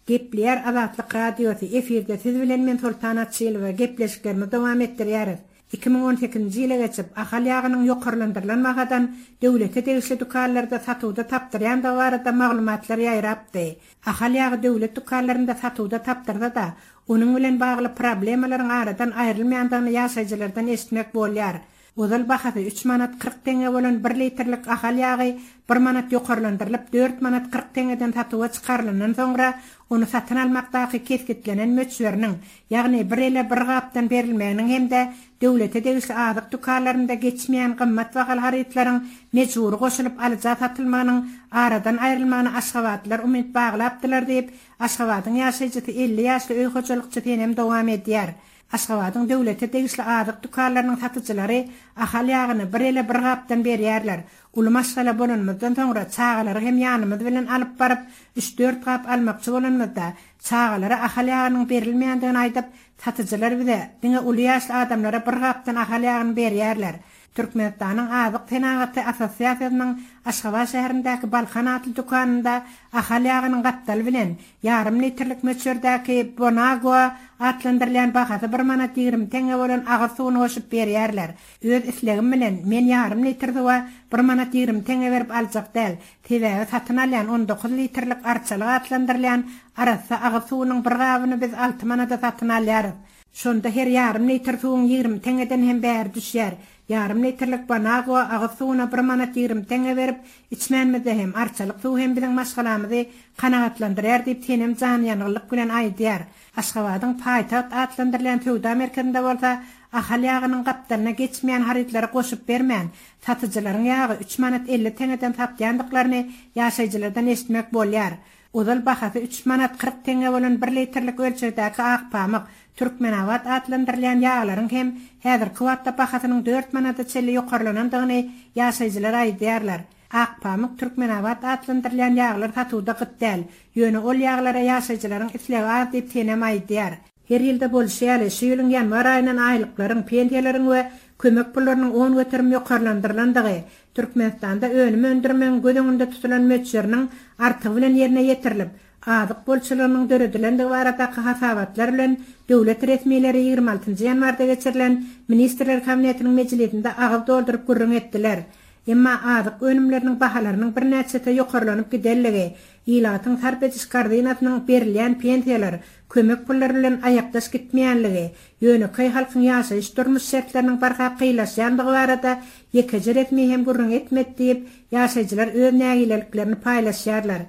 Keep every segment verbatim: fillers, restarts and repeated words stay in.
Gepleýär Azatlyk Radiosy, efirde siz bilen men Soltan Açylowa, gepleşiklerimizi dowam etdirýäris. Iki müň on sekizinji ýyla geçip, Ahal ýagynyň ýokarlandyrylan bahadan döwlete degişli dükanlarda satuwda tapdyrýandygy barada maglumatlar ýaýrapdy. Ahal ýagy döwlet dükanlarynda satuwda tapdyrsa-da, onuň bilen bagly problemalaryň aradan aýrylmaýandygyny ýaşaýjylardan eşitmek bolýar. Ozal bahasy üç manat kyrk teňňe bolan bir litrlik Ahal ýagy bir manat ýokarlandyrylyp, dört manat kyrk teňňeden satuwa çykarylandan soňra, ony satyn almakdaky kesgitlenen möçberiniň, ýagny bir ele bir gapdan berilmeginiň hem-de döwlete degişli azyk dükanlarynda geçmeýän gymmat bahaly harytlaryň mejbury goşulyp alyja satylmagynyň aradan aýrylmagyna aşgabatlylar umyt baglapdylar diýip, Aşgabadyň ýaşaýjysy elli ýaşly öý hojalykçysy Senem dowam edýär. Aşgabadyň döwlete degişli azyk dükanlarynyň satyjylary Ahal ýagyny bir ele bir gapdan berýärler. Uly maşgala bolanymyzdan soňra çagalary hem ýanymyz bilen alyp baryp, üç-dört gap almakçy bolanymyzda, çagalara Ahal ýagynyň berilmeýändigini aýdyp, satyjylar bize, diňe uly ýaşly adamlara bir gapdan Ahal ýagyny berýärler. Türkmenistanyň Azyk senagaty assosiasiýasynyň Aşgabat şäherindäki Balkan atly dükanynda Ahal ýagynyň gapdaly bilen ýarym litrlik möçberdäki Bonagua atlandyrylýan bahasy bir manat ýigrimi teňňe bolan agyz suwuny goşup berýärler. Öz islegim bilen men ýarym litr suwa bir manat ýigrimi teňňe berip aljak däl. Sebäbi satyn alýan on dokuz litrlik Arçalyk atlandyrylýan arassa agyz suwunyň bir gabyny biz alty manada satyn alýarys. Şonda her ýarym litr suwuň ýigrimi teňňeden hem bäri düşýär. Ýarym litrlik Bonagua agyz suwuna bir manat ýigrimi teňňe berip, içmänimizde hem, arçalyk suwy hem biziň maşgalamyzy kanagatlandyrýar diýip, Senem janyýangynlyk bilen aýdýar. Aşgabadyň Paýtagt atlandyrylýan söwda merkezinde bolsa Ahal ýagynyň gapdalyna geçmeýän harytlary goşup bermän, satyjylaryň ýagy üç manat elli teňňeden satýandyklaryny ýaşaýjylardan eşitmek bolýar. Ozal bahasy üç manat kyrk teňňe bolan bir litrlik ölçegdäki ak pamyk, Türkmenabat atlandyrylýan ýaglaryň hem häzirki wagtda bahasynyň dört manada çenli ýokarlanandygyny ýaşaýjylar aýdýarlar. Ak pamyk, Türkmenabat atlandyrylýan ýaglar satuwda gyt däl. Ýöne ol ýaglara ýaşaýjylaryň islegi az diýip Senem aýdýar. Her ýylda bolşy ýaly, şu ýylyň ýanwar aýyndan aýlyklaryň, pensiýalaryň we kömek pullarynyň on göterim ýokarlandyrylandygy, Türkmenistanda önüm öndürmegiň göz öňünde tutulan möçberiniň artygy bilen ýerine ýetirilip, azyk bolçulygynyň döredilendigi baradaky hasabatlar bilen döwlet resmileri ýigrimi altynjy ýanwarda geçirilen Ministrler Kabinetiniň mejlisinde agyz dolduryp gürrüň etdiler. Emma azyk önümleriniň bahalarynyň birnäçese ýokarlanyp gidenligi, ilatyň sarp ediş korzinasynyň berilýän pensiýalar, kömek pullary bilen aýakdaş gitmeýänligi, ýönekeý halkyň ýaşaýyş-durmuş şertleriniň barha kynlaşýandygy barada ýekeje resmi hem gürrüň etmedi diýip, ýaşaýjylar öz nägileliklerini paýlaşýarlar.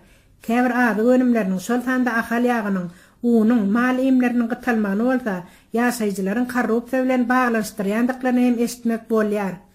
Käbir azyk önümleriniň, şol sanda Ahal ýagynyň, unuň, mal iýmleriniň gytalmagyny bolsa, ýaşaýjylaryň korrupsiýa bilen baglanyşdyrýandyklaryny hem eşitmek bolýar.